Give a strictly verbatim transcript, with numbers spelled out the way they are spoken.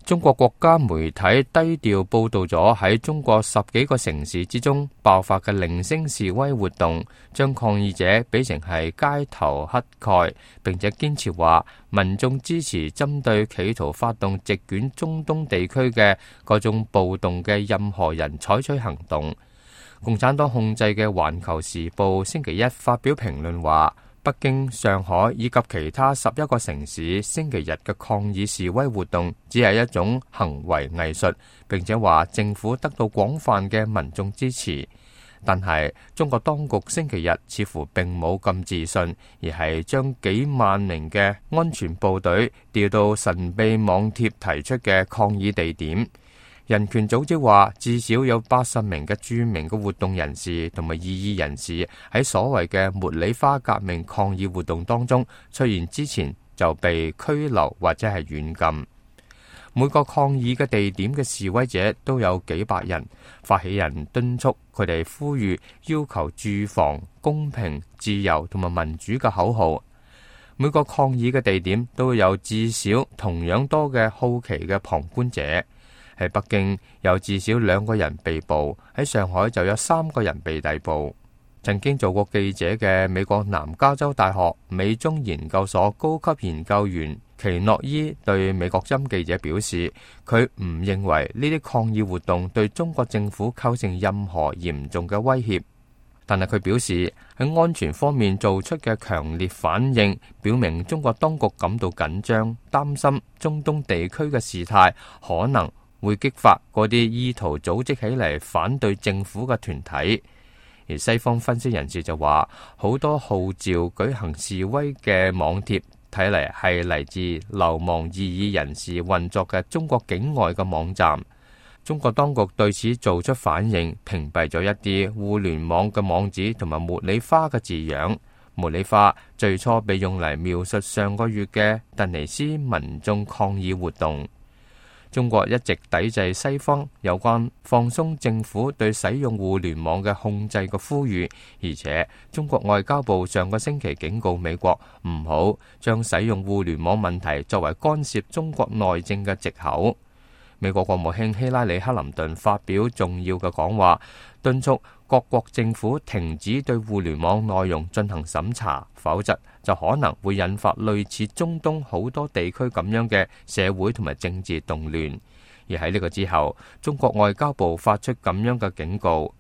中國國家媒體低調報導咗喺中國十幾個城市之中爆發嘅零星示威活動，將抗議者比成係街頭乞丐，並且堅持話民眾支持針對企圖發動席捲中東地區嘅各種暴動嘅任何人採取行動。共產黨控制嘅《環球時報》星期一發表評論話，北京、上海以及其他十一個城市星期日嘅抗議示威活動只係一種行為藝術，並且話政府得到廣泛嘅民眾支持。但係中國當局星期日似乎並冇咁自信，而係將幾萬名嘅安全部隊調到神秘網貼提出嘅抗議地點。人權組織話，至少有八十名嘅著名嘅活動人士同埋異議人士喺所謂嘅茉莉花革命抗議活動當中出現之前就被拘留或者係軟禁。每個抗議嘅地點嘅示威者都有幾百人，發起人敦促佢哋呼籲要求住房、公平、自由同埋民主嘅口號。每個抗議嘅地點都有至少同樣多嘅好奇嘅旁觀者。喺北京有至少兩個人被捕，喺上海就有三個人被逮捕。曾經做過記者嘅美國南加州大學美中研究所高級研究員奇諾伊對美國針記者表示，佢唔認為呢啲抗議活動對中國政府構成任何嚴重嘅威脅，但係佢表示喺安全方面做出嘅強烈反應，表明中國當局感到緊張，擔心中東地區嘅事態可能會激發嗰啲意圖組織起嚟反對政府嘅團體。而西方分析人士就話，好多號召舉行示威嘅網貼睇嚟係嚟自流亡異議人士運作嘅中國境外嘅網站。中國當局對此做出反應，屏蔽咗一啲互聯網嘅網址同埋茉莉花嘅字樣。茉莉花最初被用嚟描述上個月嘅突尼斯民眾抗議活動。中國一直抵制西方有關放鬆政府對使用互聯網嘅控制嘅呼籲，而且中國外交部上個星期警告美國唔好將使用互聯網問題作為干涉中國內政嘅藉口。美國國務卿希拉里·克林頓發表重要嘅講話，敦促各國政府停止對互聯網內容進行審查，否則就可能會引發類似中東好多地區咁樣嘅社會同埋政治動亂。而喺呢個之後，中國外交部發出咁樣嘅警告，